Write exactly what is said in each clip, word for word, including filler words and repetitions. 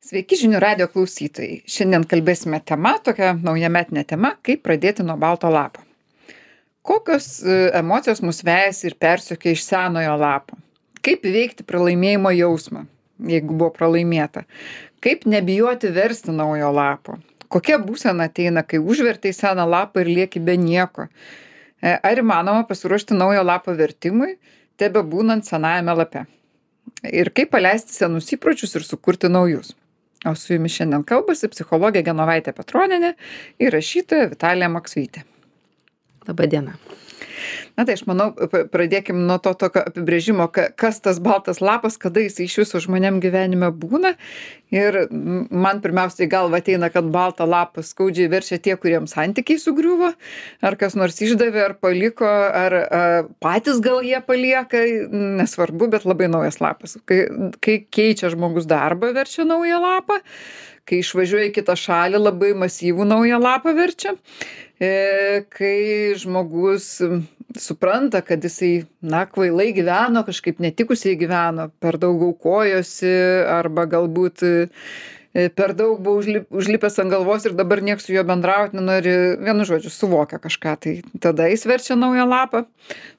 Sveiki žinių radijo klausytojai. Šiandien kalbėsime tema, tokia naujametinė tema, kaip pradėti nuo balto lapo. Kokios e, emocijos mus vejasi ir persiokia iš senojo lapo? Kaip įveikti pralaimėjimo jausmą, jeigu buvo pralaimėta? Kaip nebijoti versti naujo lapo? Kokia būsena ateina, kai užvertai seną lapą ir lieki be nieko? E, Ar įmanoma pasiruošti naujo lapo vertimui, tebe būnant senajame lape? Ir kaip paleisti senus įpročius ir sukurti naujus? O su jumis šiandien kalbasi psichologė Genovaitė Petronienė ir rašytoja Vitalija Maksvytė. Labą dieną. Na tai aš manau, p- pradėkim nuo to tokio apibrėžimo, ka- kas tas baltas lapas, kada jis iš viso žmonėm gyvenime būna. Ir m, man pirmiausiai į galvą ateina, kad baltą lapą skaudžiai verčia tie, kuriems santykiai sugriuvo, ar kas nors išdavė, ar paliko, ar a, patys gal jie palieka, nesvarbu, bet labai naujas lapas. Kai, kai keičia žmogus darbą, verčia naują lapą. Kai išvažiuoja į kitą šalį, labai masyvų naują lapą verčia. E, kai žmogus m, supranta, kad jisai, na, kvailai gyveno, kažkaip netikusiai gyveno, per daug aukojosi arba galbūt e, per daug buvo užlip, užlipęs ant galvos ir dabar nieks su juo bendrauti nenori, vienu žodžiu, suvokia kažką, tai tada jis verčia naują lapą.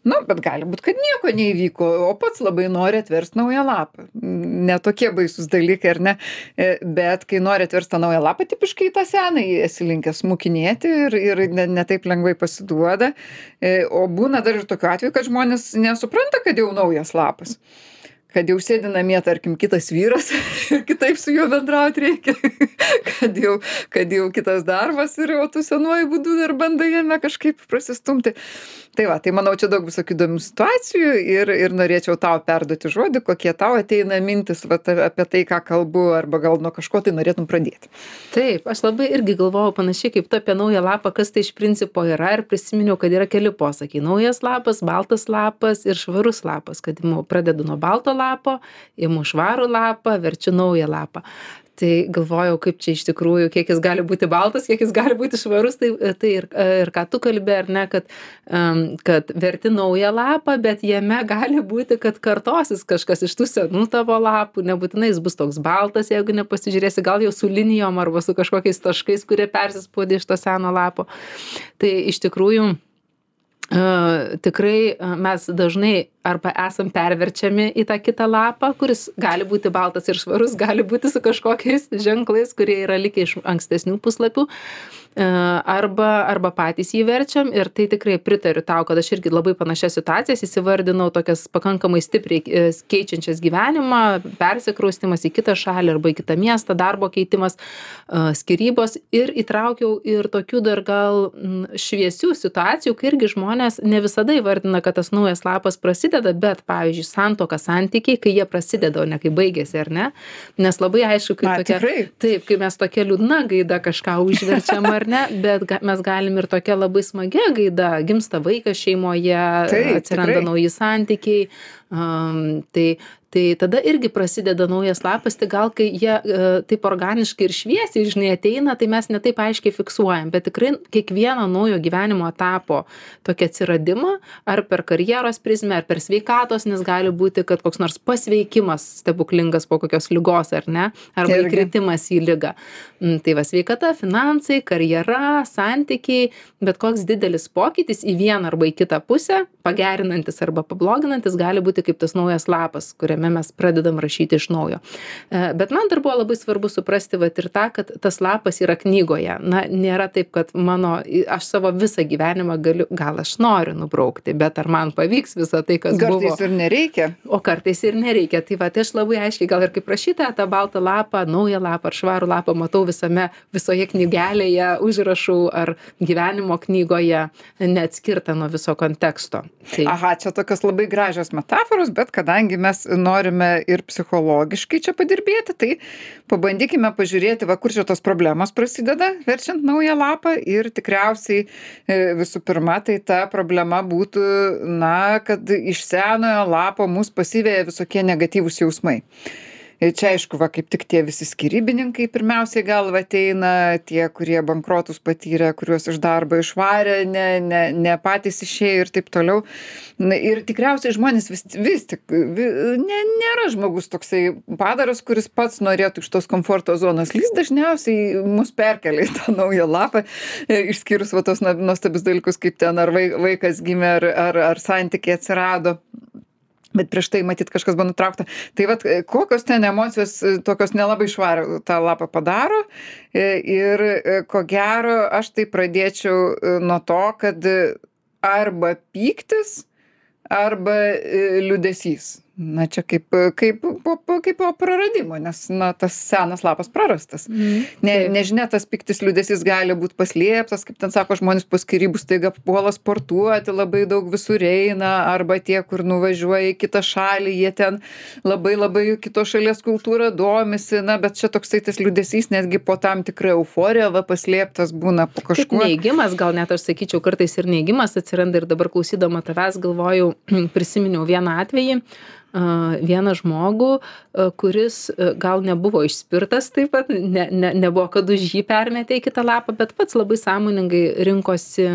Nu, bet gali būt, kad nieko neįvyko, o pats labai nori atversti naują lapą. Netokie baisus dalykai, ar ne? E, Bet kai nori atversti tą naują lapą, tipiškai tą senąjį esi linkęs smukinėti ir, ir ne, ne taip lengvai pasiduoda. E, O būna dar ir tokiu atveju, kad žmonės nesupranta, kad jau naujas lapas. Kad jau sėdi namie, tarkim, kitas vyras ir kitaip su juo bendrauti reikia. kad, jau, kad jau kitas darbas ir o tu senuoju būdu dar bandai jame kažkaip prasistumti. Tai va, tai manau, čia daug visokių įdomių situacijų ir, ir norėčiau tau perduoti žodį, kokie tau ateina mintis va, ta- apie tai, ką kalbu, arba gal nuo kažko tai norėtum pradėti. Taip, aš labai irgi galvojau panašiai kaip tu apie naują lapą, kas tai iš principo yra ir prisiminiau, kad yra keli posakiai. Naujas lapas, baltas lapas ir švarus lapas, kad imu, pradedu nuo balto lapo, imu švarų lapą, verčiu naują lapą. Tai galvojau, kaip čia iš tikrųjų, kiek jis gali būti baltas, kiek jis gali būti švarus, tai, tai ir, ir ką tu kalbė, ar ne, kad, um, kad verti naują lapą, bet jame gali būti, kad kartosis kažkas iš tų senų tavo lapų, nebūtinai jis bus toks baltas, jeigu nepasižiūrėsi, gal jau su linijom arba su kažkokiais taškais, kurie persispaudė iš to seno lapo. Tai iš tikrųjų Uh, tikrai uh, mes dažnai arba esam perverčiami į tą kitą lapą, kuris gali būti baltas ir švarus, gali būti su kažkokiais ženklais, kurie yra likę iš ankstesnių puslapių, uh, arba, arba patys jį verčiam ir tai tikrai pritariu tau, kad aš irgi labai panašias situacijas įsivardinau, tokias pakankamai stipriai uh, keičiančias gyvenimą, persikraustimas į kitą šalį arba į kitą miestą, darbo keitimas, uh, skyrybos ir įtraukiau ir tokių dar gal mm, šviesių situacijų, kai irgi žmonės ne visada įvardina, kad tas naujas lapas prasideda, bet, pavyzdžiui, santuoka santykiai, kai jie prasideda, o ne kai baigėsi, ar ne? Nes labai aišku, kai Na, tokia, tikrai. taip, kai mes tokia liūdna gaida kažką užverčiam, ar ne, bet ga, mes galim ir tokia labai smagia gaida, gimsta vaikas šeimoje, Taip, atsiranda tikrai. nauji santykiai, um, tai Tai tada irgi prasideda naujas lapas, tai gal kai jie e, taip organiškai ir šviesiai, žinai, ateina, tai mes netaip aiškiai fiksuojam, bet tikrai kiekvieno naujo gyvenimo etapo tokį atsiradimą, ar per karjeros prizmę, ar per sveikatos, nes gali būti, kad koks nors pasveikimas stebuklingas po kokios ligos, ar ne, arba Irgi. įkritimas į ligą. Mm, Tai va, sveikata, finansai, karjera, santykiai, bet koks didelis pokytis į vieną arba į kitą pusę, pagerinantis arba pabloginantis, gali būti kaip tas naujas lapas, kuriame mes pradedam rašyti iš naujo. E, Bet man dar buvo labai svarbu suprasti vat ir tą, kad tas lapas yra knygoje. Na, nėra taip, kad mano, aš savo visą gyvenimą galiu, gal aš noriu nubraukti, bet ar man pavyks visą tai, kas buvo. Kartais ir nereikia. O kartais ir nereikia. Tai va, tai aš labai aiškiai, gal ir kaip rašyta, tą baltą lapą, naują lapą ar švarų lapą matau visame, visoje knygelėje, užrašų ar gyvenimo knygoje, neatskirta nuo viso konteksto. Tai, Aha, čia tokios labai gražios metaforos, bet kadangi mes norime ir psichologiškai čia padirbėti, tai pabandykime pažiūrėti, va, kur čia tos problemos prasideda, verčiant naują lapą ir tikriausiai e, visų pirma, tai ta problema būtų, na, kad iš senojo lapo mus pasiveja visokie negatyvūs jausmai. Ir čia aišku, va, kaip tik tie visi skirybininkai pirmiausiai galva ateina, tie, kurie bankrotus patyrė, kuriuos iš darbo išvarė, ne, ne, ne patys išėjo ir taip toliau. Na, ir tikriausiai žmonės vis, vis tik, vi, ne, nėra žmogus toksai padaras, kuris pats norėtų iš tos komforto zonos. Jis dažniausiai mus perkelia į tą naują lapą, išskyrus va tos nuostabius dalykus, kaip ten ar vaikas gimė, ar, ar, ar santykiai atsirado. Bet prieš tai matyt kažkas buvo nutraukta. Tai vat kokios ten emocijos tokios nelabai švarų tą lapą padaro. Ir ko gero aš tai pradėčiau nuo to, kad arba pyktis, arba liūdesys. Na čia kaip, kaip, po, kaip po praradimo, nes na, tas senas lapas prarastas. Mm, ne, nežinia, tas piktis liūdesys gali būti paslėptas, kaip ten sako, žmonės po skyrybų staiga puola sportuoti, labai daug visur eina, arba tie, kur nuvažiuoja į kitą šalį, jie ten labai labai kitos šalies kultūrą domisi, na, bet čia toksai tas liūdesys netgi po tam tikrą euforiją va, paslėptas būna po kažkuo. Kaip neigimas, gal net aš sakyčiau, kartais ir neigimas atsiranda ir dabar klausydama tavęs galvojau, prisiminiau vieną atvejį, vieną žmogų, kuris gal nebuvo išspirtas taip pat, ne, ne, nebuvo, kad už jį permetė į kitą lapą, bet pats labai sąmoningai rinkosi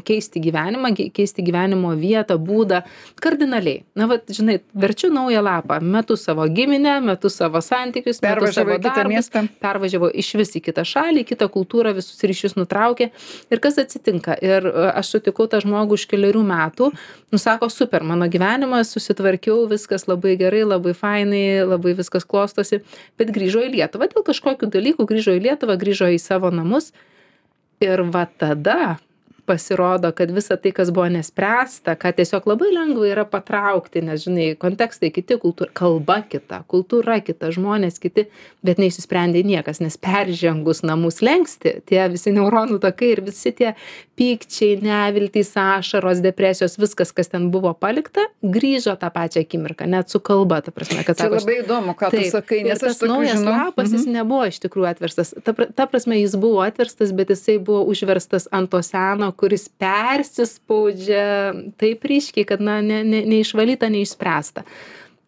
keisti gyvenimą, keisti gyvenimo vietą, būdą, kardinaliai. Na, vat, žinai, verčiu naują lapą, metu savo giminę, metu savo santykius, metu savo darbus, pervažiavo iš vis į kitą šalį, į kitą kultūrą, visus ryšius nutraukė. Ir kas atsitinka? Ir aš sutikau tą žmogų už keliarių metų, nusako, super, mano gyvenimas, susitvarkiau, viskas labai gerai, labai fainai, labai viskas klostosi, bet grįžo į Lietuvą dėl kažkokių dalykų, grįžo į Lietuvą, grįžo į savo namus ir va tada pasirodo, kad visa tai, kas buvo nespręsta, kad tiesiog labai lengva yra patraukti, nes, žinai, kontekstai kiti, kultūra, kalba kita, kultūra kita, žmonės kiti, bet neišsisprendė niekas, nes peržengus namų slenkstį, tie visi neuronų takai ir visi tie pykčiai, neviltys, ašaros, depresijos, viskas, kas ten buvo palikta, grįžo tą pačią akimirką, net su kalba, ta prasme, kad sako. Čia labai įdomu, ką tu sakai, nes tas naujas lapas, jis nebuvo iš tikrųjų atverstas. Ta, ta prasme, jis buvo atverstas, bet jisai buvo užverstas ant to seno, kuris persispaudžia taip ryškiai, kad na, ne, ne, neišvalyta, neišspręsta.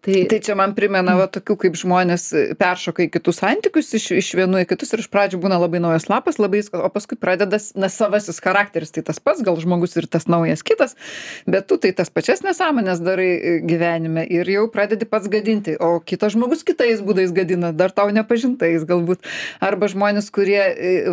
Tai, tai čia man primena va, tokių, kaip žmonės peršoka į kitus santykius, iš, iš vienų į kitus ir iš pradžių būna labai naujas lapas, labai, o paskui pradeda na, savasis charakteris, tai tas pats, gal žmogus ir tas naujas kitas, bet tu tai tas pačias nesąmonės darai gyvenime ir jau pradedi pats gadinti, o kitas žmogus kitais būdais gadina, dar tau nepažintais galbūt. Arba žmonės, kurie,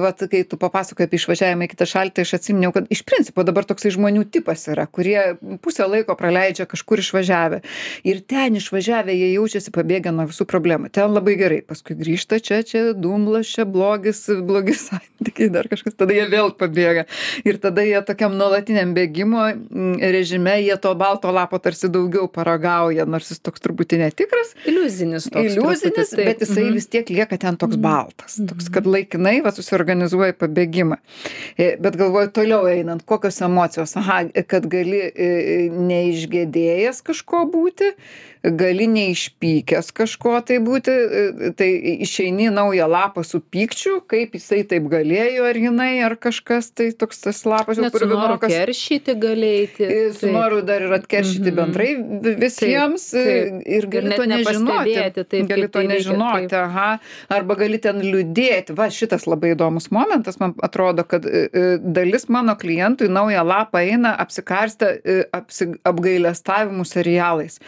va, kai tu papasakoji apie išvažiavimą į kitą šalį, tai aš atsiminiau, kad iš principo dabar toksai žmonių tipas yra, kurie pusę laiko praleidžia kažkur išvažiavę ir ten išvažiavę važiavę, jie jaučiasi pabėgę nuo visų problemų. Ten labai gerai. Paskui grįžta čia, čia dumblas, čia blogis, blogi santykiai, dar kažkas. Tada jie vėl pabėga. Ir tada jie tokiam nuolatiniam bėgimo režime, jie to balto lapo tarsi daugiau paragauja, nors jis toks truputį netikras. Iliuzinis toks. Iliuzinis, truputį, bet jisai mm-hmm. vis tiek lieka ten toks baltas. Toks, kad laikinai va, susiorganizuoja pabėgimą. Bet galvoju, toliau einant, kokios emocijos. Aha, kad gali neišgėdėjęs kažko būti, gali neišpykęs kažko tai būti, tai išeini naują lapą su pykčiu, kaip jisai taip galėjo, ar jinai, ar kažkas, tai toks tas lapas jau kur vienokas. Net su noru keršyti galėti. Su noru dar ir atkeršyti mm-hmm. bendrai visiems taip, taip. Ir gali ir to nežinoti. Taip, gali to tai nežinoti, reikia, aha. Arba gali ten liūdėti. Va, šitas labai įdomus momentas, man atrodo, kad dalis mano klientų į naują lapą eina apsikarstę apsi, apgailestavimų serialais.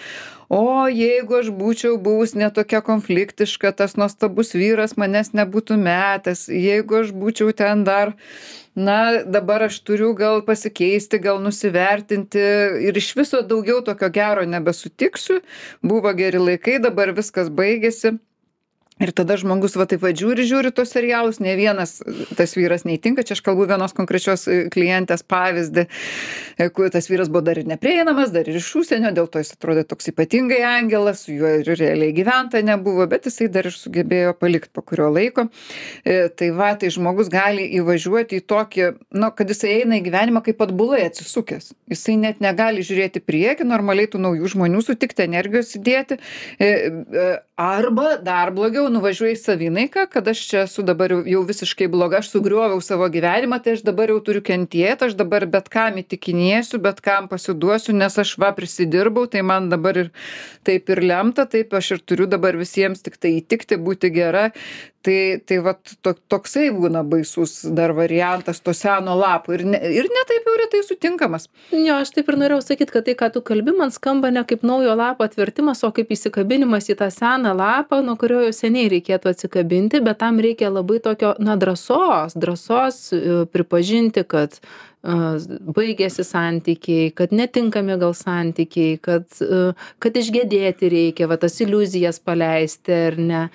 O jeigu aš būčiau buvus netokia konfliktiška, tas nuostabus vyras manęs nebūtų metęs, jeigu aš būčiau ten dar, na, dabar aš turiu gal pasikeisti, gal nusivertinti ir iš viso daugiau tokio gero nebesutiksiu, buvo geri laikai, dabar viskas baigėsi. Ir tada žmogus va taip va žiūri, žiūri tos serialus, ne vienas tas vyras neįtinka, čia aš kalbu vienos konkrečios klientės pavyzdį, kur tas vyras buvo dar ir neprieinamas, dar ir iš užsienio, dėl to jis atrodė toks ypatingai angelas, su juo ir realiai gyventa nebuvo, bet jisai dar ir sugebėjo palikti po kurio laiko. Tai va, tai žmogus gali įvažiuoti į tokį, nu, kad jisai eina į gyvenimą kaip atbulai atsisukęs. Jisai net negali žiūrėti priekį, normaliai tų naujų žmonių sutikti, energijos įdėti, arba dar blogiau, nuvažiuoju į savinaiką, kad aš čia esu dabar jau, jau visiškai bloga, aš sugrioviau savo gyvenimą, tai aš dabar jau turiu kentėti, aš dabar bet kam įtikinėsiu, bet kam pasiduosiu, nes aš va prisidirbau, tai man dabar ir taip ir lemta, taip aš ir turiu dabar visiems tik tai įtikti, būti gera. Tai, tai vat to, toksai būna baisus dar variantas to seno lapo ir ne, ir ne taip jau retai sutinkamas. Jo, aš taip ir norėjau sakyti, kad tai, ką tu kalbi, man skamba ne kaip naujo lapo atvertimas, o kaip įsikabinimas į tą seną lapą, nuo kurio jau seniai reikėtų atsikabinti, bet tam reikia labai tokio, na, drąsos, drąsos pripažinti, kad uh, baigėsi santykiai, kad netinkami gal santykiai, kad, uh, kad išgedėti reikia, va tas iliuzijas paleisti ar ne.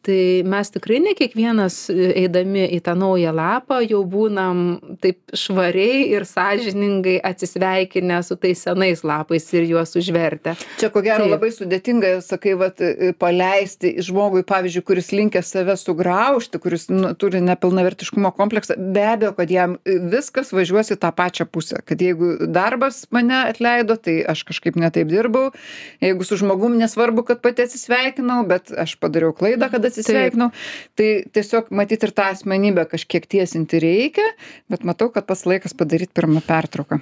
Tai mes tikrai ne kiekvienas eidami į tą naują lapą jau būnam taip švariai ir sąžiningai atsisveikinę su tais senais lapais ir juos užvertę. Čia ko gero Taip. labai sudėtinga, sakai, vat, paleisti žmogui, pavyzdžiui, kuris linkęs save sugraužti, kuris nu, turi nepilnavertiškumo kompleksą, be abejo, kad jam viskas važiuos į tą pačią pusę. Kad jeigu darbas mane atleido, tai aš kažkaip netaip dirbau. Jeigu su žmogum nesvarbu, kad pati atsisveikinau, bet aš padariau klaidą, kad atsisveikinau. Tai tiesiog matyti ir tą asmenybę kažkiek tiesinti reikia, bet matau, kad pats laikas padaryti pirmą pertrauką.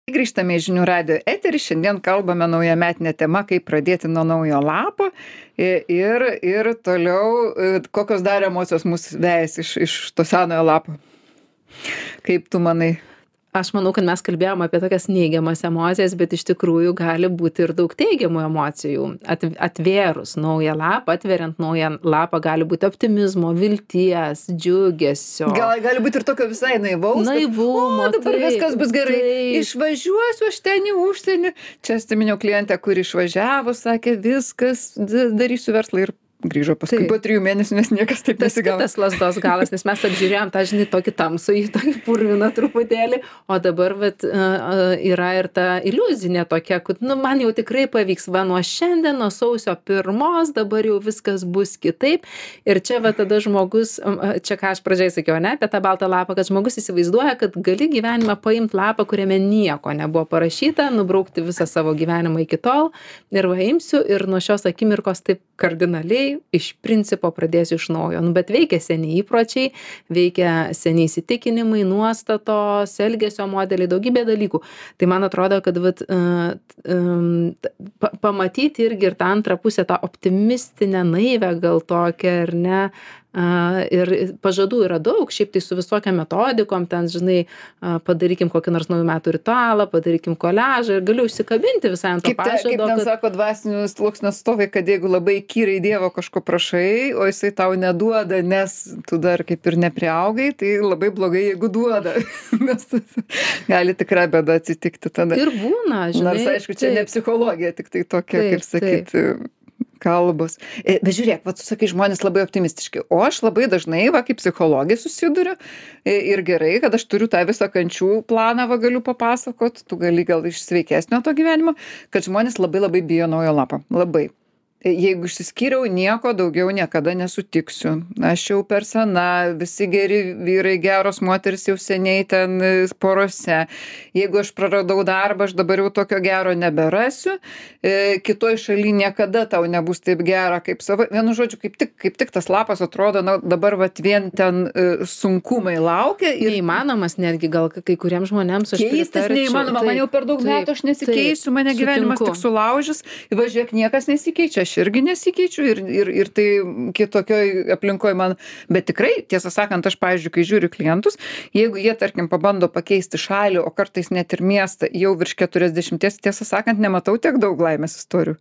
Grįžtame į Žinių radijo eterį. Šiandien kalbame naujametinę temą, kaip pradėti nuo naujo lapo ir, ir toliau kokios dar emocijos mus vejasi iš, iš to senojo lapo. Kaip tu manai? Aš manau, kad mes kalbėjom apie tokias neigiamas emocijas, bet iš tikrųjų gali būti ir daug teigiamų emocijų. At, atvėrus naują lapą, atveriant naują lapą, gali būti optimizmo, vilties, džiugesio. Gal, gali būti ir tokio visai naivaus. Naivumo. Kad, o, dabar taip, viskas bus gerai. Taip. Išvažiuosiu aš ten į užsienį. Čia atsiminiau klientę, kuri išvažiavo, sakė, viskas, darysiu verslą ir grįžo paskui Taip. po trijų mėnesių, nes niekas taip Tas nesigavo. kitas lazdos galas, nes mes apžiūrėjom tą, žinai, tokį tamsų, į tokį purviną truputėlį, o dabar vat, yra ir ta iliuzinė tokia, kad, nu, man jau tikrai pavyks, va, nuo šiandien, nuo sausio pirmos, dabar jau viskas bus kitaip. Ir čia va tada žmogus, čia ką aš pradžiai sakiau, ne, apie tą baltą lapą, kad žmogus įsivaizduoja, kad gali gyvenimą paimti lapą, kuriame nieko nebuvo parašyta, nubraukti visą savo gyvenimą iki tol ir va imsiu ir nuo šios akimirkos taip kardinaliai iš principo pradėsiu iš naujo. Nu, bet veikia seni įpročiai, veikia seni įsitikinimai, nuostatos, elgesio modeliai, daugybė dalykų. Tai man atrodo, kad vat, uh, um, pa pamatyti irgi ir tą antrą pusę, tą optimistinę naivę gal tokią, ar ne, Uh, ir pažadų yra daug, šiaip tai su visokiam metodikom, ten, žinai, uh, padarykim kokį nors naujų metų ritualą, padarykim koliažą ir galiu užsikabinti visai ant to Kaip, te, pažado. kaip ten kad... sako dvasinių sluoksnių atstovai, kad jeigu labai kyrai Dievo kažko prašai, o jisai tau neduoda, nes tu dar kaip ir nepriaugai, tai labai blogai, jeigu duoda. Nes gali tikrai bėda atsitikti tada. Ir būna, žinai. Nors, aišku, čia taip. ne psichologija, tik tai tokia, Taip, kaip sakyti, kalbos. Bet žiūrėk, va, tu sakai, žmonės labai optimistiški. O aš labai dažnai, va, kaip psichologija susiduriu ir gerai, kad aš turiu tą visą kančių planą, va, galiu papasakot, tu gali gal iš sveikesnio to gyvenimo, kad žmonės labai labai bijo naujo lapo. Labai. Jeigu išsiskyriau, nieko daugiau niekada nesutiksiu. Aš jau per sena, visi geri vyrai, geros moteris jau seniai ten porose. Jeigu aš praradau darbą, aš dabar jau tokio gero neberasiu. E, kitoj šaly niekada tau nebus taip gera kaip savo. Vienu žodžiu, kaip tik, kaip tik tas lapas atrodo, na, dabar vat vien ten e, sunkumai laukia. Ir neįmanomas netgi gal kai kuriems žmonėms aš keistis pritarčiau. neįmanoma, man jau per daug taip, metų aš nesikeisiu, mane taip, gyvenimas sutinku. tik sulaužys. Važiuok, niekas nesikeičia. Aš irgi nesikeičiu ir, ir, ir tai kitokioj aplinkoj man, bet tikrai, tiesą sakant, aš, pavyzdžiui, kai žiūriu klientus, jeigu jie, tarkim, pabando pakeisti šalį, o kartais net ir miestą, jau virš keturiasdešimties, tiesą sakant, nematau tiek daug laimės istorijų.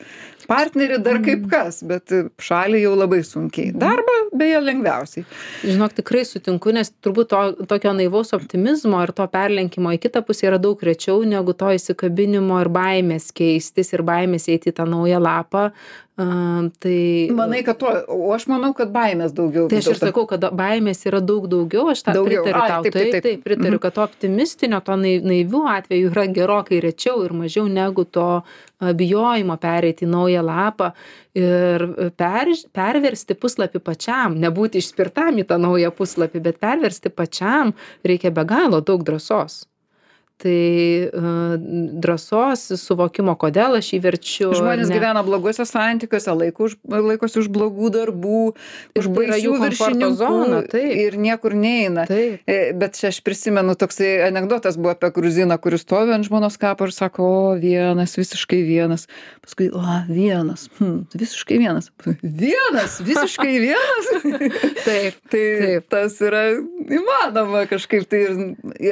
Partnerį dar kaip kas, bet šalį jau labai sunkiai. Darbą, beje, lengviausiai. Žinok, tikrai sutinku, nes turbūt to, tokio naivaus optimizmo ir to perlenkimo į kitą pusę yra daug rečiau negu to įsikabinimo ir baimės keistis ir baimės eiti į tą naują lapą. Uh, tai... Manai, kad to, o aš manau, kad baimės daugiau. Tai aš ir sakau, kad baimės yra daug daugiau, aš tą Daugiau. pritariu Ai, tau. taip, taip, taip. taip, pritariu, Mhm. kad to optimistinio, to nai- naivių atveju yra gerokai rečiau ir mažiau negu to a, bijojimo pereiti į naują lapą ir per, perversti puslapį pačiam, nebūti išspirtam į tą naują puslapį, bet perversti pačiam reikia be galo daug drąsos. tai uh, drąsos, suvokimo, kodėl aš jį verčiu. Žmonės ne... gyvena bloguose santykiuose, laiko už, laikosi už blogų darbų, už baisių viršininkų ir niekur neina. Taip. Bet čia aš prisimenu, toksai anekdotas buvo apie gruziną, kuris stovi ant žmonos kapo ir sako, o vienas, visiškai vienas. Paskui, o vienas, hm, visiškai vienas. Vienas, visiškai vienas. Taip. Tai taip. Tas yra įmanoma kažkaip. Tai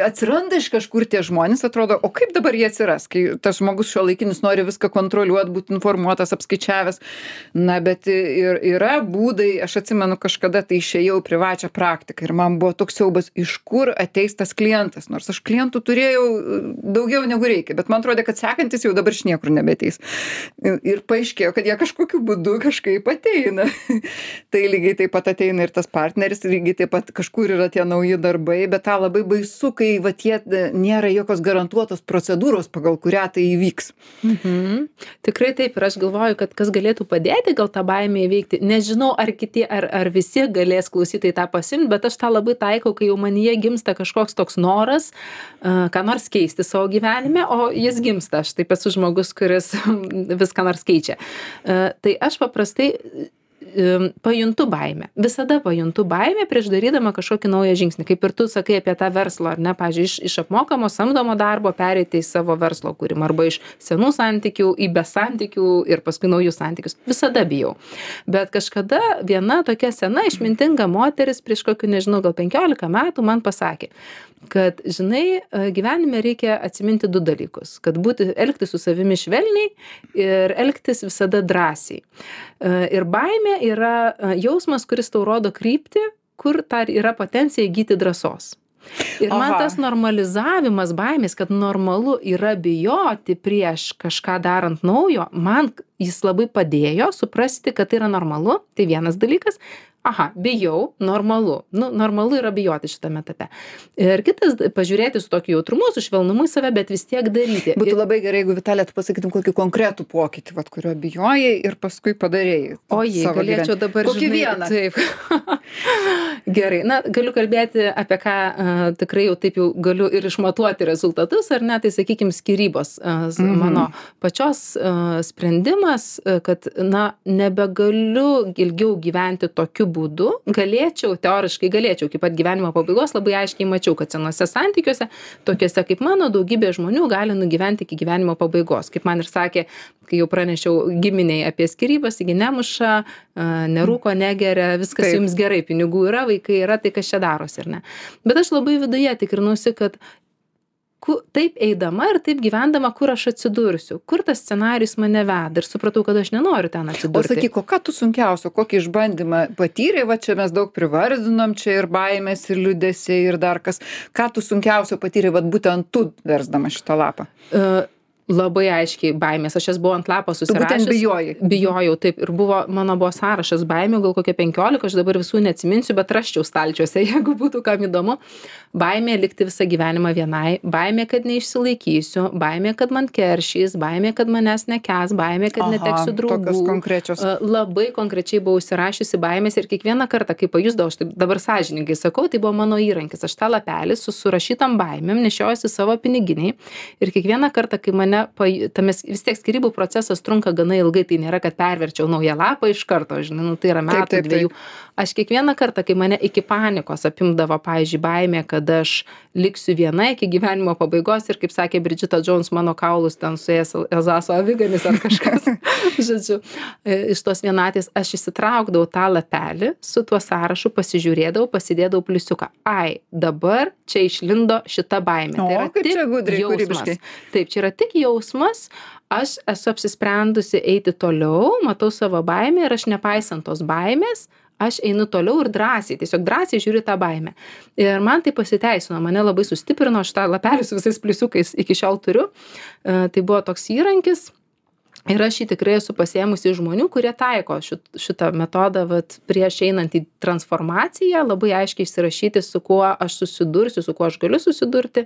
atsiranda iš kažkur tie žmonės, atrodo, o kaip dabar jie atsiras, kai tas žmogus šiuolaikinis nori viską kontroliuoti, būti informuotas, apskaičiavęs. Na, bet ir yra būdai, aš atsimenu kažkada tai išėjau privačią praktiką ir man buvo toks siaubas, iš kur ateis tas klientas, nors aš klientų turėjau daugiau negu reikia, bet man atrodė, kad sekantis jau dabar iš niekur nebeteis. Ir paaiškėjo, kad jie kažkokiu būdu kažkaip ateina. Tai lygiai taip pat ateina ir tas partneris, lygiai taip pat kažkur yra tie nauji darbai, bet tą labai baisu, kai va tie nėra jokios garantuotos procedūros, pagal kurią tai įvyks. Mhm. Tikrai taip, ir aš galvoju, kad kas galėtų padėti gal tą baimę įveikti. Nežinau, ar kiti, ar, ar visi galės klausytojai tą pasimti, bet aš tą labai taikau, kai jau manyje gimsta kažkoks toks noras, uh, ką nors keisti savo gyvenime, o jis gimsta. Aš taip esu žmogus, kuris viską nors keičia. Uh, tai aš paprastai pajuntu baimę. Visada pajuntu baimę prieš darydama kažkokį naują žingsnį. Kaip ir tu sakai apie tą verslą, ar ne? Pavyzdžiui, iš, iš apmokamo samdomo darbo pereiti į savo verslo kūrimą arba iš senų santykių į besantykių ir paskui naujus santykius. Visada bijau. Bet kažkada viena tokia sena išmintinga moteris prieš kokių, nežinau, gal penkiolika metų man pasakė, kad, žinai, gyvenime reikia atsiminti du dalykus. Kad būti, elgtis su savimi švelniai ir elgtis visada drąsiai. Ir baimė yra jausmas, kuris tau rodo kryptį, kur dar yra potencija įgyti drąsos. Ir man Aha. tas normalizavimas baimės, kad normalu yra bijoti prieš kažką darant naujo, man jis labai padėjo suprasti, kad tai yra normalu. Tai vienas dalykas. Aha, bijau, normalu. Nu, normalu yra bijoti šitame etape. Ir kitas, pažiūrėti su tokiu jautrumu, su švelnumu į save, bet vis tiek daryti. Būtų labai gerai, jeigu Vitalija, tu pasakytum kokį konkretų pokytį, vat, kurio bijojai ir paskui padarėjai. O jei, galėčiau dabar kokį žinai, vieną. Taip. Gerai, na, galiu kalbėti apie ką uh, tikrai jau taip jau galiu ir išmatuoti rezultatus, ar ne, tai sakykime skyrybos. Uh, mm-hmm. Mano pačios uh, sprendimas, uh, kad, na, nebegaliu ilgiau gyventi tokiu būdu, galėčiau, teoriškai galėčiau, iki pat gyvenimo pabaigos labai aiškiai mačiau, kad senose santykiuose, tokiuose kaip mano, daugybė žmonių gali nugyventi iki gyvenimo pabaigos. Kaip man ir sakė, kai jau pranešiau giminiai apie skyrybas, taigi nemuša, nerūko, negeria, viskas Taip. Jums gerai, pinigų yra, vaikai yra, tai kas čia darosi, ar ne? Bet aš labai viduje tikrinusi, kad taip eidama ir taip gyvendama, kur aš atsidursiu, kur tas scenarijus mane veda ir supratau, kad aš nenoriu ten atsidurti. O sakyk, o ką tu sunkiausio, kokį išbandymą patyrei, va čia mes daug privardinom, čia ir baimės, ir liūdesiai, ir dar kas. Ką tu sunkiausio patyrei, va būtent tu versdama šitą lapą? Uh, Labai aiškiai baimės. Aš jas buvau ant lapo susirašęs. Tu būtent bijojai. Bijojau, taip. Ir buvo, mano buvo sąrašas baimių, gal kokie penkiolika, aš dabar visų neatsiminsiu, bet raščiau stalčiuose, jeigu būtų kam įdomu. Baimė likti visą gyvenimą vienai, baimė, kad neišsilaikysiu, baimė, kad man keršys, baimė, kad manęs nekęs, baimė, kad Aha, neteksiu draugų. Tokios konkrečios. Labai konkrečiai buvau užsirašiusi baimės ir kiekvieną kartą, kai pajusdavau, aš taip dabar sąžiningai sakau, tai buvo mano įrankis. Aš tą lapelį su surašytam baimėm nešiojuosi savo piniginiai ir kiekvieną kartą, kai mane Tames, vis tiek skyrybų procesas trunka gana ilgai, tai nėra, kad perverčiau naują lapą iš karto, žinai, nu, tai yra metų, taip, taip, dviejų. Taip. Aš kiekvieną kartą, kai mane iki panikos apimdavo, pavyzdžiui, baimė, kad aš liksiu viena iki gyvenimo pabaigos ir, kaip sakė Bridžita Jones, mano kaulus ten suės Elzaso aviganis ar kažkas, žodžiu, iš tos vienatės aš įsitraukdavau tą lapelį, su tuo sąrašu pasižiūrėdavau, pasidėdavau pliusiuką. Ai, dabar čia išlindo šita baimė. O, tai yra kaip tik čia gudriai, jausmas. Kūrybiškai. Taip, čia yra tik jausmas, aš esu apsisprendusi eiti toliau, matau savo baimę ir aš nepaisant tos baimės, aš einu toliau ir drąsiai, tiesiog drąsiai žiūriu tą baimę. Ir man tai pasiteisino, mane labai sustiprino, aš tą lapelį su visais pliusiukais iki šiol turiu. E, tai buvo toks įrankis. Ir aš jį tikrai esu pasiėmusi žmonių, kurie taiko šit, šitą metodą, vat, prieš einant į transformaciją, labai aiškiai įsirašyti, su kuo aš susidursiu, su kuo aš galiu susidurti.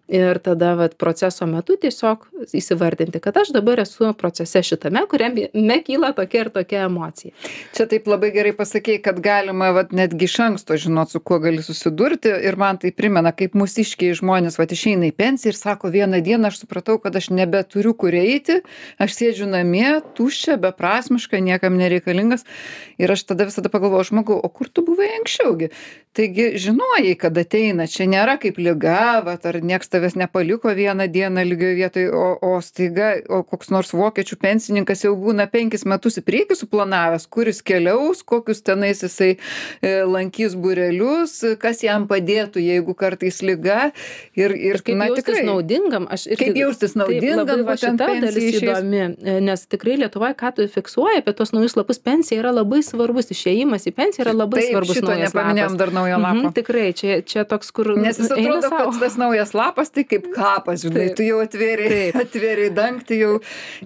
Ir tada vat proceso metu tiesiog įsivardinti, kad aš dabar esu procese šitame, kuriame kyla tokia ir tokia emocija. Čia taip labai gerai pasakei, kad galima vat netgi iš anksto žinot, su kuo gali susidurti, ir man tai primena, kaip mūsiškiai žmonės vat išeina į pensiją ir sako, vieną dieną aš supratau, kad aš nebeturiu kur eiti, aš sėdžiu namie, tuščia, beprasmiška, niekam nereikalingas, ir aš tada visada pagalvoju, žmogau, o kur tu buvai anksčiaugi? Taigi žinojai, kad ateina, čia nėra kaip liga, vat, ar nieks tavęs nepaliko vieną dieną lygioje vietoje, o, o staiga, o koks nors vokiečių pensininkas jau būna penkis metus į priekį suplanavęs, kuris keliaus, kokius tenais jisai e, lankys būrelius, kas jam padėtų, jeigu kartais liga. Ir, ir kaip na, jaustis tikrai, naudingam, aš irgi. Kaip jaustis naudingam, taip, labai va būtent šita dalis pensijai išėjus. įdomi, nes tikrai Lietuvoje, ką tu fiksuoji apie tos naujus lapus, pensija yra labai svarbus, išėjimas į pensiją yra labai Taip, svarbus šito naujas nepaminėjom lapas. dar naujo lapo. Mhm, tikrai, čia, čia toks, kur Nes jis eina atrodo, sau. kad tas naujas lapas tai kaip kapas, žinai, Taip. tu jau atvėrėjai, atvėrėjai dangtį jau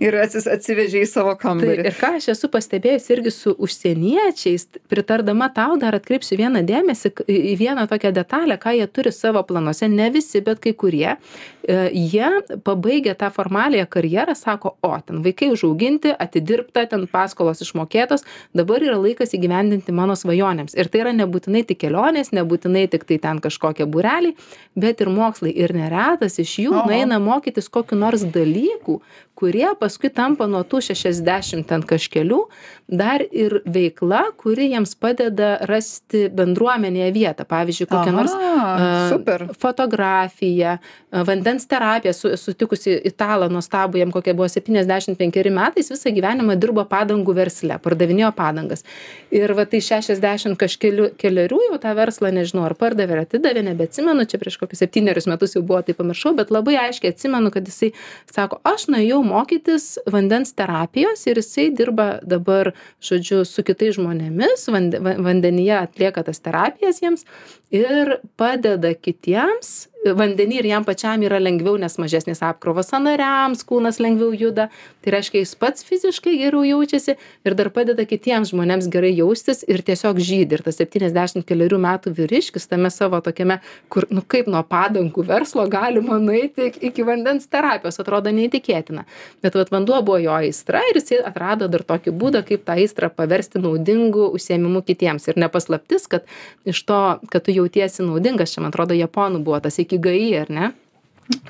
ir atsis, atsivežėjai į savo Tai, kambarį. ir ką aš esu pastebėjus irgi su užsieniečiais, pritardama tau dar atkreipsiu vieną dėmesį k- į vieną tokią detalę, ką jie turi savo planuose, ne visi, bet kai kurie, e, jie pabaigę tą formaliąją karjerą, sako, o, ten vaikai užauginti, atidirbta, ten paskolos išmokėtos, dabar yra laikas įgyvendinti mano svajonėms. Ir tai yra nebūtinai tik kelionės, nebūtinai tik tai ten kažkokie būreliai, bet ir mokslai. Ir neretas iš jų Oho. nueina mokytis kokiu nors dalykų, kurie paskui tampa nuo tų šešiasdešimt ten kažkelių dar ir veikla, kuri jiems padeda rasti bendruomenėje vietą. Pavyzdžiui, kokią Aha, nors a, super. fotografiją, a, vandens terapiją, su, sutikusi italą nuostabų, jam kokie buvo septyniasdešimt penkeri metais, visą gyvenimą dirbo padangų versle, pardavinėjo padangas. Ir va tai šešiasdešimt kažkelių keliarių jau tą verslą, nežinau, ar pardavė, ar atidavė, nebeatsimenu, čia prieš kokius septynerius metus jau buvo, tai pamiršau, bet labai aiškiai atsimenu, kad jisai sako, aš nuėjau mokytis vandens terapijos ir jisai dirba dabar, žodžiu, su kitais žmonėmis, vande, va- vandenyje atlieka tas terapijas jiems ir padeda kitiems. Vandenį ir jam pačiam yra lengviau, nes mažesnis apkrovas sąnariams, kūnas lengviau juda. Tai reiškia, jis pats fiziškai geriau jaučiasi ir dar padeda kitiems žmonėms gerai jaustis ir tiesiog žydi. Ir tas septyniasdešimt keliarių metų vyriškis tame savo tokiame, kur, nu kaip nuo padangų verslo galima nueiti iki- iki vandens terapijos, atrodo neįtikėtina. Bet vat vanduo buvo jo aistra ir jis atrado dar tokį būdą, kaip tą aistrą paversti naudingu užsiėmimu kitiems. Ir nepaslaptis, kad iš to, kad tu jautiesi naudingas, čia man atrodo japonų buvo tas ikigai, ar ne?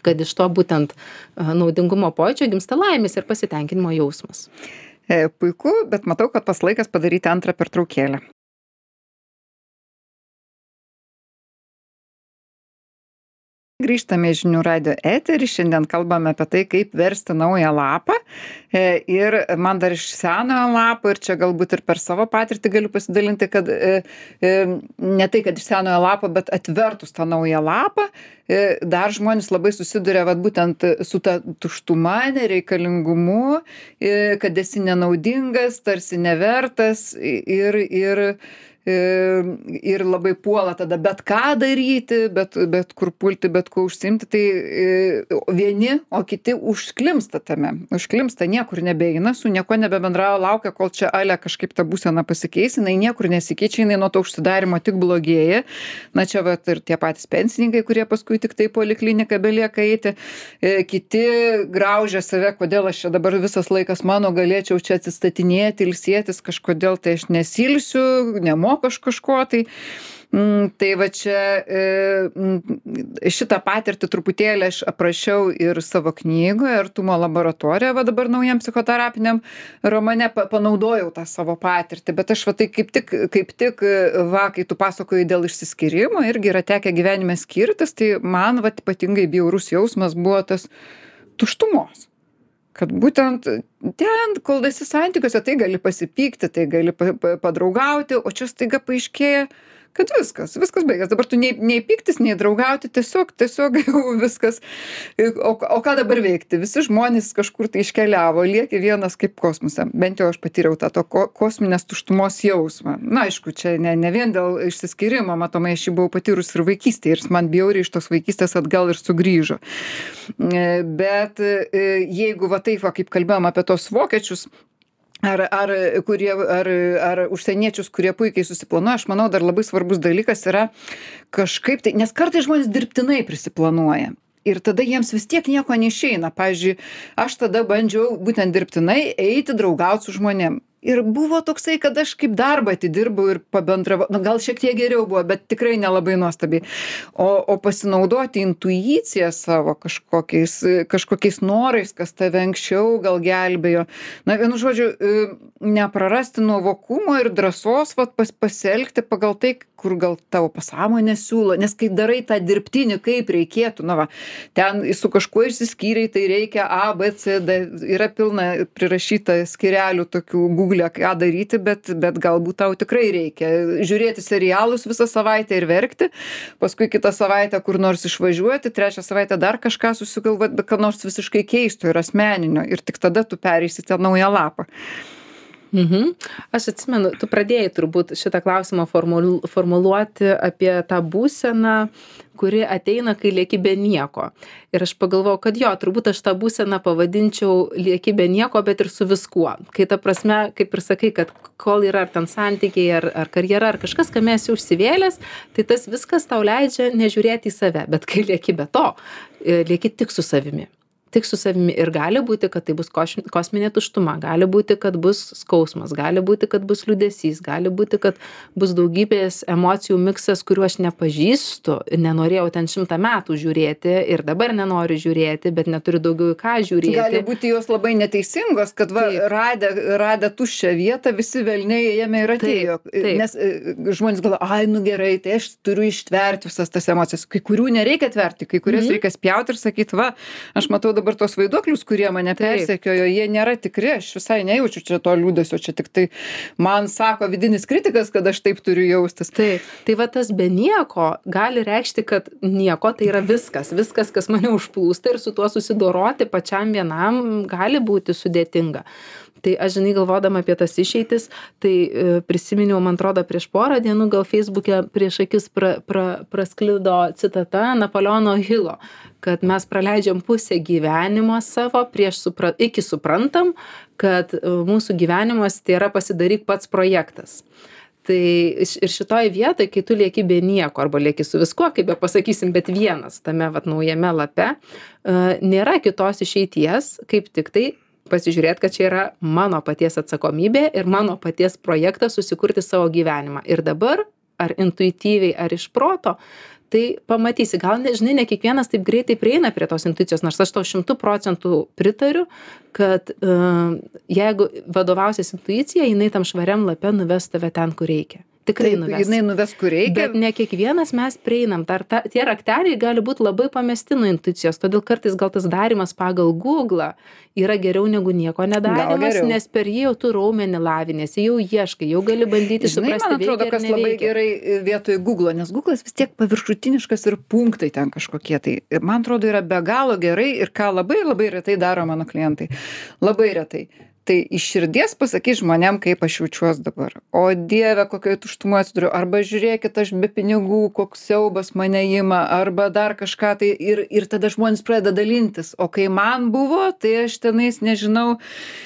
Kad iš to būtent a, naudingumo pojūčio gimsta laimės ir pasitenkinimo jausmas. E, puiku, bet matau, kad pas laikas padaryti antrą pertraukėlę. Grįžtame į žinių radio eterį, šiandien kalbame apie tai, kaip versti naują lapą. E, ir man dar iš senojo lapo, ir čia galbūt ir per savo patirtį galiu pasidalinti, kad e, e, ne tai, kad iš senojo lapo, bet atvertus tą naują lapą, e, dar žmonės labai susiduria vat, būtent su ta tuštuma, nereikalingumu, e, kad esi nenaudingas, tarsi nevertas ir, ir ir labai puola tada bet ką daryti, bet, bet kur pulti, bet kuo užsimti, tai vieni, o kiti užklimsta tame, užklimsta, niekur nebeina, su nieko nebebendrauja, laukia, kol čia ale kažkaip ta būsena pasikeis, jinai niekur nesikeičia, jinai nuo to užsidarimo tik blogėja. Na čia vat ir tie patys pensininkai, kurie paskui tik tai polikliniką belieka eiti, kiti graužia save, kodėl aš čia dabar visas laikas mano galėčiau čia atsistatinėti, ilsėtis, kažkodėl tai aš nesilsiu, nemoku aš kažko, tai, mm, tai va čia e, šitą patirtį truputėlį aš aprašiau ir savo knygoje, Artumo laboratorija, va dabar naujam psichoterapiniam romane pa, panaudojau tą savo patirtį, bet aš va tai kaip tik, kaip tik, va, kai tu pasakoji dėl išsiskyrimo, irgi yra tekę gyvenime skirtis, tai man va ypatingai bjaurus jausmas buvo tas tuštumos. Kad būtent ten, kol esi santykiuose, tai gali pasipykti, tai gali pa, pa, padraugauti, o čia staiga paaiškėja, kad viskas, viskas baigės. Dabar tu nei, nei pyktis, nei draugauti, tiesiog, tiesiog jau viskas. O, o ką dabar veikti? Visi žmonės kažkur tai iškeliavo, lieki vienas kaip kosmose. Bent jau aš patyriau tą to ko, kosminės tuštumos jausmą. Na, aišku, čia ne, ne vien dėl išsiskyrimo, matomai, aš jį buvau patyrus ir vaikystėje, ir jis man bjauriai iš tos vaikystės atgal ir sugrįžo. Bet jeigu va taip, va, kaip kalbėjom apie tos vokiečius, Ar, ar, kurie, ar, ar užsieniečius, kurie puikiai susiplanuoja, aš manau, dar labai svarbus dalykas yra kažkaip tai, nes kartais žmonės dirbtinai prisiplanuoja. Ir tada jiems vis tiek nieko neišeina. Pavyzdžiui, aš tada bandžiau būtent dirbtinai eiti draugaut su žmonėm. Ir buvo toksai, kad aš kaip darbą atidirbau ir pabendravau, nu, gal šiek tiek geriau buvo, bet tikrai nelabai nuostabiai. O, o pasinaudoti intuiciją savo kažkokiais, kažkokiais norais, kas tave anksčiau gal gelbėjo. Na, vienu žodžiu, neprarasti nuovokumo ir drąsos vat, pas, pasielgti pagal tai, kur gal tavo pasąmonė siūlo. Nes kai darai tą dirbtinį, kaip reikėtų, na va, ten su kažkuo išsiskyrei, tai reikia A, B, C, D, yra pilna prirašyta skyrelių tokių Google, ką daryti, bet, bet galbūt tau tikrai reikia žiūrėti serialus visą savaitę ir verkti, paskui kitą savaitę kur nors išvažiuoti, trečią savaitę dar kažką susigalvoti, bet ką nors visiškai keisto ir asmeninio, ir tik tada tu pereisi tą naują lapą. Mhm. Aš atsimenu, tu pradėjai turbūt šitą klausimą formulu, formuluoti apie tą būseną, kuri ateina, kai lieki be nieko. Ir aš pagalvojau, kad jo, turbūt aš tą būseną pavadinčiau lieki be nieko, bet ir su viskuo. Kai ta prasme, kaip ir sakai, kad kol yra ar ten santykiai, ar, ar karjera, ar kažkas, kame esi užsivėlęs, tai tas viskas tau leidžia nežiūrėti į save. Bet kai lieki be to, lieki tik su savimi. Tik su savimi. Ir gali būti, kad tai bus kosminė tuštuma, gali būti, kad bus skausmas, gali būti, kad bus liūdesys, gali būti, kad bus daugybės emocijų miksas, kuriuo aš nepažįstu ir nenorėjau ten šimtą metų žiūrėti ir dabar nenoriu žiūrėti, bet neturiu daugiau į ką žiūrėti. Gali būti jos labai neteisingos, kad va, radę, radę tuščią vietą, visi velniai jame ir atėjo. Taip, taip. Nes žmonės galvoja, ai, nu gerai, tai aš turiu ištverti visas tas emocijas. Kai kurių nereikia tverti, kai kurias mm-hmm. reikia spjauti ir sakyti, va, aš matau dabar tos vaiduoklius, kurie mane persekiojo, jie nėra tikri, aš visai nejaučiu čia to liūdesio, čia tik tai man sako vidinis kritikas, kad aš taip turiu jaustis. Taip, tai va tas be nieko gali reikšti, kad nieko tai yra viskas, viskas, kas mane užplūsta ir su tuo susidoroti pačiam vienam gali būti sudėtinga. Tai aš, žinai, galvodama apie tas išeitis, tai e, prisiminiau, man atrodo, prieš porą dienų gal Facebook'e prieš akis pra, pra, prasklido citata Napoleono Hilo, kad mes praleidžiam pusę gyvenimo savo prieš supra, iki suprantam, kad e, mūsų gyvenimas tai yra pasidaryk pats projektas. Tai ir šitoj vietoj, kai tu lieki be nieko arba lieki su viskuo, kaip be pasakysim, bet vienas tame vat, naujame lape, e, nėra kitos išeities, kaip tik tai pasižiūrėti, kad čia yra mano paties atsakomybė ir mano paties projektas susikurti savo gyvenimą. Ir dabar, ar intuityviai, ar iš proto, tai pamatysi. Gal, nežinai, ne kiekvienas taip greitai prieina prie tos intuicijos, nors aš tau šimtų procentų pritariu, kad uh, jeigu vadovausies intuicija, jinai tam švariam lape nuves tave ten, kur reikia. Tikrai nuves. Jinai nuves, kur reikia. Bet ne kiekvienas mes prieinam. Tar, ta, tie rakteliai gali būti labai pamesti nuo intuicijos, todėl kartais gal tas darimas pagal Google yra geriau negu nieko nedarimas, nes per jį jau tu raumenį lavinėsi, jau ieškai, jau gali bandyti Žinai, suprasti, man atrodo, kas labai gerai vietoj Google, nes Google'as vis tiek paviršutiniškas ir punktai ten kažkokie. Tai man atrodo yra be galo gerai ir ką labai labai retai daro mano klientai. Labai retai. Tai iš širdies pasakyk žmonėm, kaip aš jaučiuos dabar. O Dieve, kokioje tuštumoje atsiduriu. Arba žiūrėkit, aš be pinigų, koks siaubas mane ima, arba dar kažką. Tai ir, ir tada žmonės pradeda dalintis. O kai man buvo, tai aš tenais, nežinau,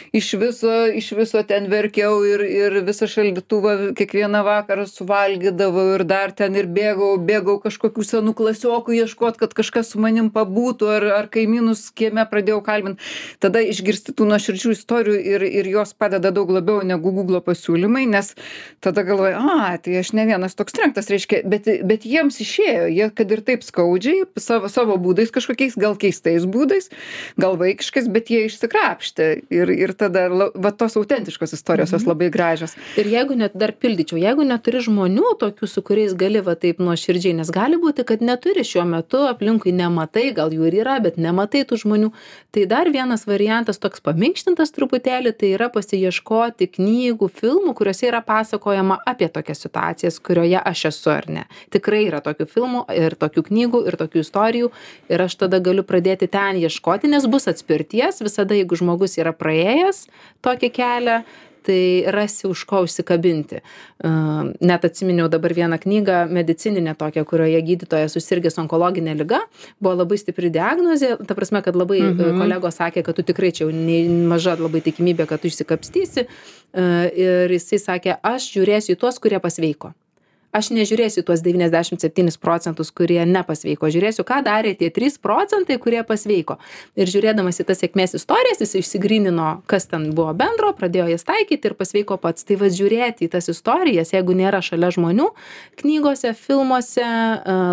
iš viso, iš viso ten verkiau ir, ir visą šaldytuvą kiekvieną vakarą suvalgydavau ir dar ten ir bėgau, bėgau kažkokių senų klasiokų ieškot, kad kažkas su manim pabūtų, ar, ar kaimynus kieme pradėjau kalbinti. Tada išgirsti tų nuoširdžių istorijų ir, ir jos padeda daug labiau negu Google pasiūlymai, nes tada galvoju, a, tai aš ne vienas toks trenktas, reiškia, bet, bet jiems išėjo, jie kad ir taip skaudžiai, savo, savo būdais kažkokiais, gal keistais būdais, gal vaikiškais, bet jie išsikrapštė ir, ir tada, va, tos autentiškos istorijos, jos labai gražios. Ir jeigu net dar pildyčiau, jeigu neturi žmonių tokių, su kuriais gali va taip nuoširdžiai, nes gali būti, kad neturi šiuo metu, aplinkui nematai, gal jų ir yra, bet nematai tų žmonių, tai dar vienas variantas toks paminkštintas truputėlį, tai yra pasiieškoti knygų, filmų, kuriuose yra pasakojama apie tokias situacijas, kurioje aš esu ar ne. Tikrai yra tokių filmų ir tokių knygų ir tokių istorijų ir aš tada galiu pradėti ten ieškoti, nes bus atspirties visada, jeigu žmogus yra praėjęs tokį kelią, tai rasi už ko užsikabinti. Uh, net atsiminiau dabar vieną knygą medicininę tokią, kurioje gydytojas susirgęs onkologinė liga, buvo labai stipri diagnozė, ta prasme, kad labai mm-hmm. kolegos sakė, kad tu tikrai čia jau maža labai tikimybė, kad tu išsikapstysi. Uh, ir jisai sakė, aš žiūrėsiu į tuos, kurie pasveiko. aš nežiūrėsiu į tuos devyniasdešimt septynis procentus, kurie nepasveiko, žiūrėsiu, ką darė tie trys procentai, kurie pasveiko. Ir žiūrėdamas į tas sėkmės istorijas, jis išsigrynino, kas ten buvo bendro, pradėjo jas taikyti ir pasveiko pats. Tai va žiūrėti į tas istorijas, jeigu nėra šalia žmonių, knygose, filmuose,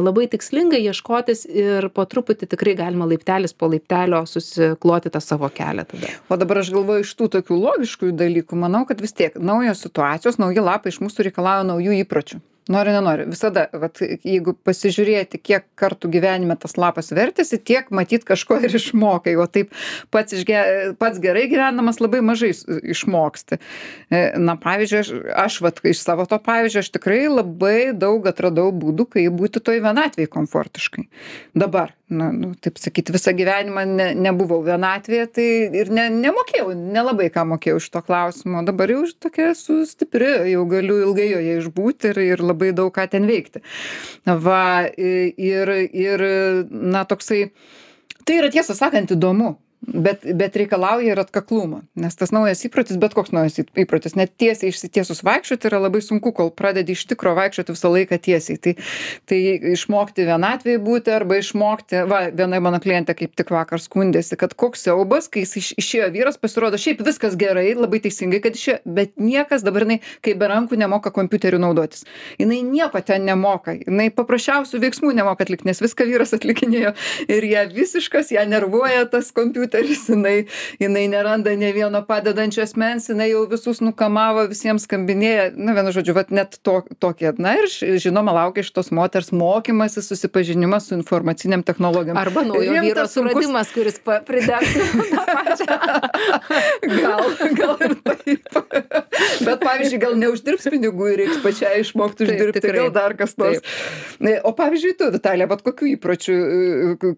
labai tikslingai ieškotis ir po truputį tikrai galima laiptelis po laiptelio susikloti tą savo kelią tada. O dabar aš galvoju, iš tų tokių logiškų dalykų, manau, kad vis tiek naujos situacijos, nauji lapai iš mūsų reikalauja naujų įpročių. Nori, nenori. Visada, vat, jeigu pasižiūrėti, kiek kartų gyvenime tas lapas vertėsi, tiek matyt kažko ir išmokai. O taip pats, išge, pats gerai gyvenamas labai mažai išmoksti. Na, pavyzdžiui, aš, aš vat, iš savo to pavyzdžio, aš tikrai labai daug atradau būdų, kaip būti toj vienatvėje komfortiškai. Dabar, na, nu, taip sakyti, visą gyvenimą ne, nebuvau vienatvėje, tai ir ne, nemokėjau, nelabai ką mokėjau iš to klausimo. Dabar jau tokia esu stipri, jau galiu ilgai joje išbūti ir, ir labai daug ką ten veikti. Va, ir, ir, na, toksai, tai yra tiesą sakant įdomu. Bet, bet reikalauja ir atkaklumo, nes tas naujas įprotis, bet koks naujas įprotis, net tiesiai išsitiesus vaikščioti yra labai sunku, kol pradedi iš tikro vaikščioti visą laiką tiesiai. Tai, tai išmokti vienatvėje būti arba išmokti, va, viena mano klientė kaip tik vakar skundėsi, kad koks siaubas, kai jis iš, išėjo vyras, pasirodo, šiaip viskas gerai, labai teisingai, kad išėjo, bet niekas dabar, jinai, kai be rankų nemoka kompiuteriu naudotis. Jinai nieko ten nemoka, jinai paprasčiausių veiksmų nemoka atlikti, nes viską vyras atlikinėjo ir ją visiškas, ją nervuoja tas kompiuteris. Jinai, jinai neranda ne vieno padedančio asmens, jinai jau visus nukamavo, visiems skambinėja, na, vienu žodžiu, vat net to, tokie, na ir žinoma, laukia iš tos moters mokymasis, susipažinimas su informaciniam technologijom. Arba naujo vyro suradimas, kuris pridegs tą pačią. Gal, gal ir taip. Bet, pavyzdžiui, gal neuždirbs pinigų ir reiks pačiai išmokti uždirbti, taip, gal dar kas nors. O pavyzdžiui, tu, Vitalija, bet kokių įpročių,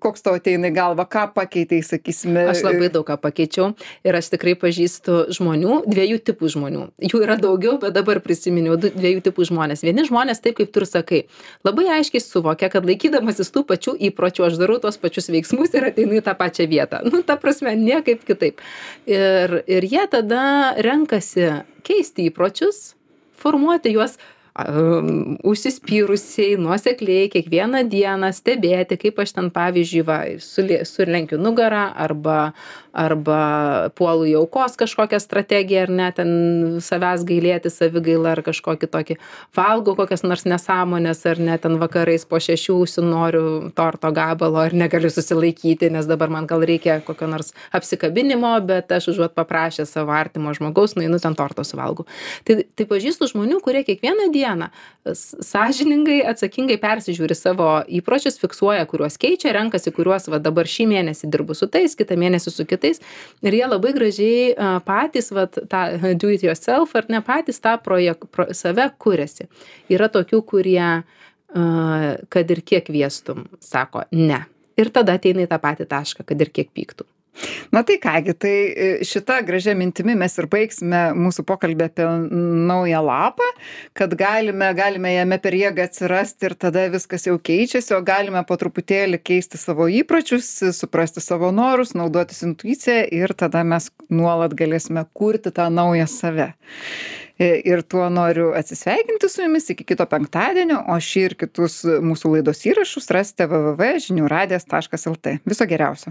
koks tavo ateina į galvą, ką pakeitei, sakysime? Aš labai daug ką pakeičiau ir aš tikrai pažįstu žmonių, dviejų tipų žmonių. Jų yra daugiau, bet dabar prisiminiau dviejų tipų žmonės. Vieni žmonės, taip kaip tu ir sakai, labai aiškiai suvokia, kad laikydamasis tų pačių įpročių, aš darau tos pačius veiksmus ir ateinu į tą pačią vietą. Nu, ta prasme, niekaip kitaip. Ir, ir jie tada renkasi keisti įpročius, formuoti juos um, užsispyrusiai, nuosekliai, kiekvieną dieną stebėti, kaip aš ten, pavyzdžiui, va, sulenkiu nugarą arba, arba puolu į aukos kažkokią strategiją, ar ne, ten savęs gailėti, savigailą ar kažkokį tokį, valgo kokias nors nesąmonės, ar ne, ten vakarais po šešių užsinoriu torto gabalo ir negaliu susilaikyti, nes dabar man gal reikia kokio nors apsikabinimo, bet aš užuot paprašę savo artimo žmogaus, nueinu ten torto suvalgau. Tai, tai pažįstu žmonių, kurie kiekvieną dieną sąžiningai, atsakingai persižiūri savo įpročius, fiksuoja, kuriuos keičia, renkasi, kuriuos va, dabar šį mėnesį dirbu su tais, kitą mėnesį su kitais. Ir jie labai gražiai uh, patys, va, tą do it yourself, ar ne patys tą projek, pro, save kuriasi. Yra tokių, kurie, uh, kad ir kiek viestum, sako ne. Ir tada ateina į tą patį tašką, kad ir kiek pyktų. Na tai kągi, tai šitą gražią mintimi mes ir baigsime mūsų pokalbį apie naują lapą, kad galime, galime jame per jėgą atsirasti ir tada viskas jau keičiasi, o galime po truputėlį keisti savo įpročius, suprasti savo norus, naudotis intuiciją ir tada mes nuolat galėsime kurti tą naują save. Ir tuo noriu atsisveikinti su jumis iki kito penktadienio, o šį ir kitus mūsų laidos įrašus rasite w w w taškas žinių radijas taškas l t. Viso geriausio.